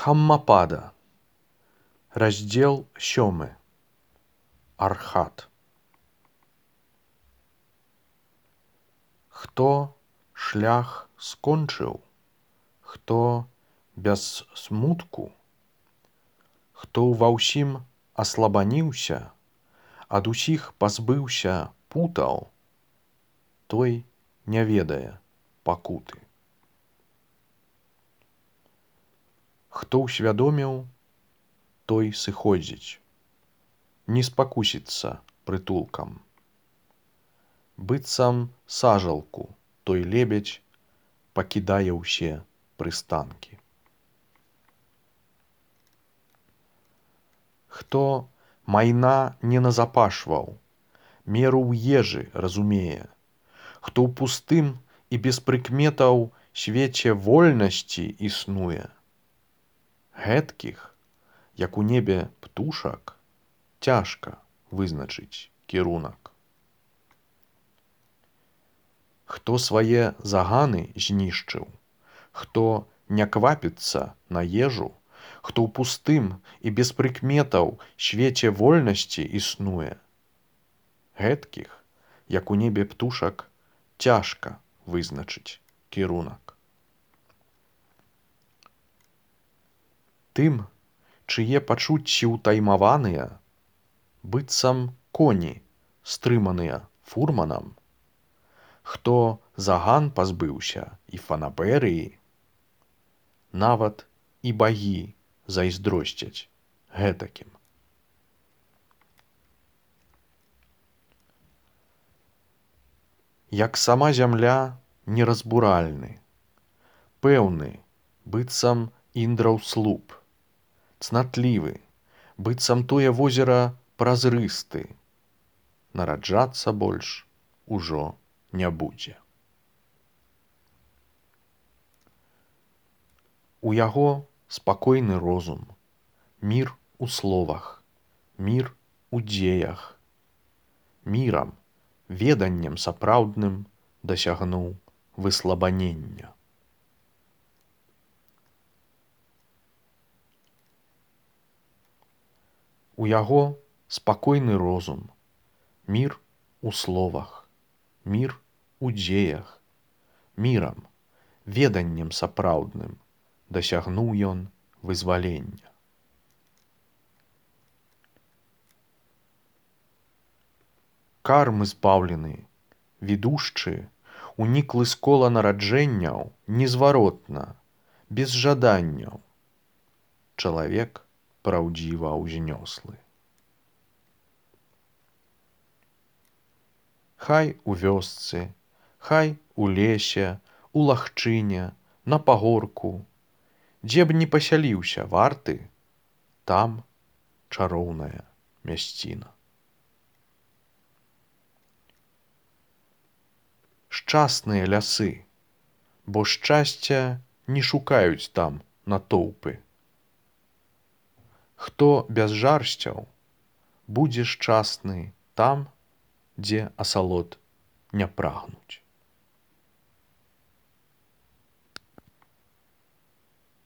Хаммапада. Раздзел 7. Архат. Хто шлях скончыў, хто без смутку, хто ва ўсім аслабаніўся, ад усіх пазбыўся путаў, той не ведае пакуты. Хто ўсвядоміў, той сыходзіць, не спакусіцца прытулкам. Быццам сажалку той лебедзь пакідае ўсе прыстанкі. Хто майна не назапашваў, меру ў ежы разумее, хто ў пустым і без прыкметаў свеце вольнасці існуе, гэткіх, як у небе птушак, цяжка вызначыць кірунак. Хто свае заганы знішчыў, хто не квапіцца на ежу, хто ў пустым і без прыкметаў свеце вольнасці існуе, гэткіх, як у небе птушак, цяжка вызначыць кірунак. Тым, чые пачуцці ўтаймаваныя, быццам коні, стрыманыя фурманам, хто заган пазбыўся і фанабэрыі, нават і багі зайздросцяць гэтакім. Як сама зямля неразбуральны, пэўны, быццам індраў слуп, цнатлівы, быццам тое возера празрысты, нараджацца больш ужо не будзе. У яго спакойны розум, мір у словах, мір у дзеях, мірам, веданнем сапраўдным дасягнуў выслабанення. У яго спакойны розум, мір у словах, мір у дзеях, мірам, веданнем сапраўдным дасягнуў ён вызвалення. Кармы збаўлены, відушчы, уніклы з кола нараджэнняў незваротна, без жаданняў, чалавек праўдзіва ўзнёслы. Хай у вёсцы, хай у лесе, у лагчыне, на пагорку, дзе б не пасяліўся варты, там чароўная мясціна. Шчасныя лясы, бо шчасця не шукаюць там натоўпы. Хто без жарсцяў, будзе шчасны там, дзе асалод не прагнуць.